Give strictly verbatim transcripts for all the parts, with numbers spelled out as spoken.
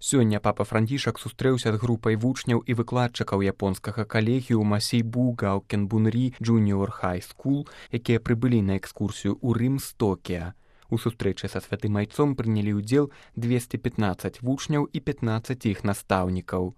Сёння папа Францішак сустрэўся з групай вучняў і выкладчыкаў японскага калегіума Сейбу Гаокен Бунрі Junior High School, якія прыбылі на экскурсію ў Рым з Токіа. У сустрэчы са святым айцом прынялі ўдзел двесце пятнаццаць вучняў і пятнаццаць іх настаўнікаў.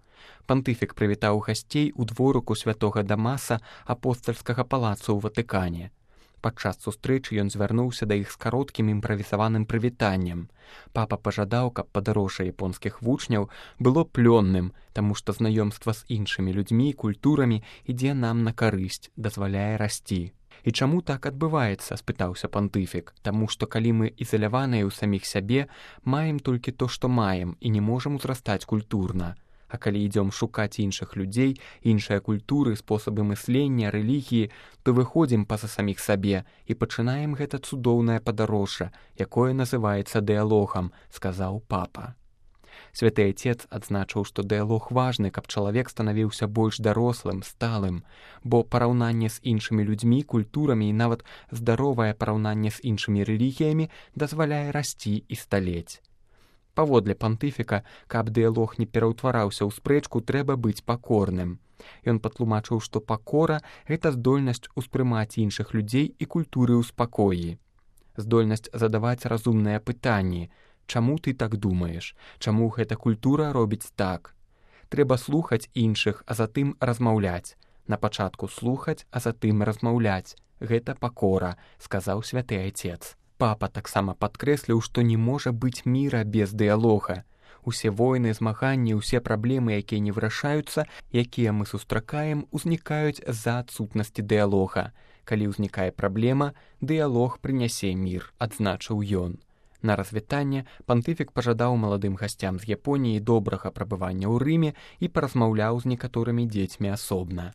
Пантыфік прывітаў гасцей у дворыку святога Дамаса апостальскага палацу ў Ватыкане. Падчас сустрэчы ён звярнуўся да іх з кароткім імправізаваным прывітаннем. Папа пажадаў, каб падарожжа японскіх вучняў было плённым, таму што знаёмства з іншымі людзьмі і культурамі ідзе нам на карысць, дазваляе расці. І чаму так адбываецца, спытаўся пантыфік. Таму што калі мы ізаляваныя ў саміх сябе, маем толькі то, што маем, і не можам узрастаць культурна. А калі ідзём шукаць іншых людзей, іншыя культуры, спосабы мыслення, рэлігіі, то выходзім па-за саміх сабе і пачынаем гэта цудоўнае падарожжа, якое называецца дыялогам, сказаў папа. Святы Айцец адзначыў, што дыялог важны, каб чалавек станавіўся больш дарослым, сталым, бо параўнанне з іншымі людзьмі, культурамі і нават здаровае параўнанне з іншымі рэлігіямі дазваляе расці і сталець. Паводле пантыфіка, каб дыялог не пераўтвараўся ў спрэчку, трэба быць пакорным. Ён патлумачыў, што пакора – гэта здольнасць успрымаць іншых людзей і культуры ў спакоі. Здольнасць задаваць разумныя пытанні. Чаму ты так думаеш? Чаму гэта культура робіць так? Трэба слухаць іншых, а затым размаўляць. На пачатку слухаць, а затым размаўляць. Гэта пакора, сказаў святы Айцец. Папа таксама падкрэсліў, што не можа быць міра без дыялога. Усе войны, змаганні, усе праблемы, якія не вырашаюцца, якія мы сустракаем, узнікаюць з-за адсутнасці дыялога. Калі ўзнікае праблема, дыялог прынясе мір, адзначыў ён. На развітанне пантыфік пажадаў маладым гасцям з Японіі добрага прабывання ў Рыме і паразмаўляў з некаторымі дзецьмі асобна.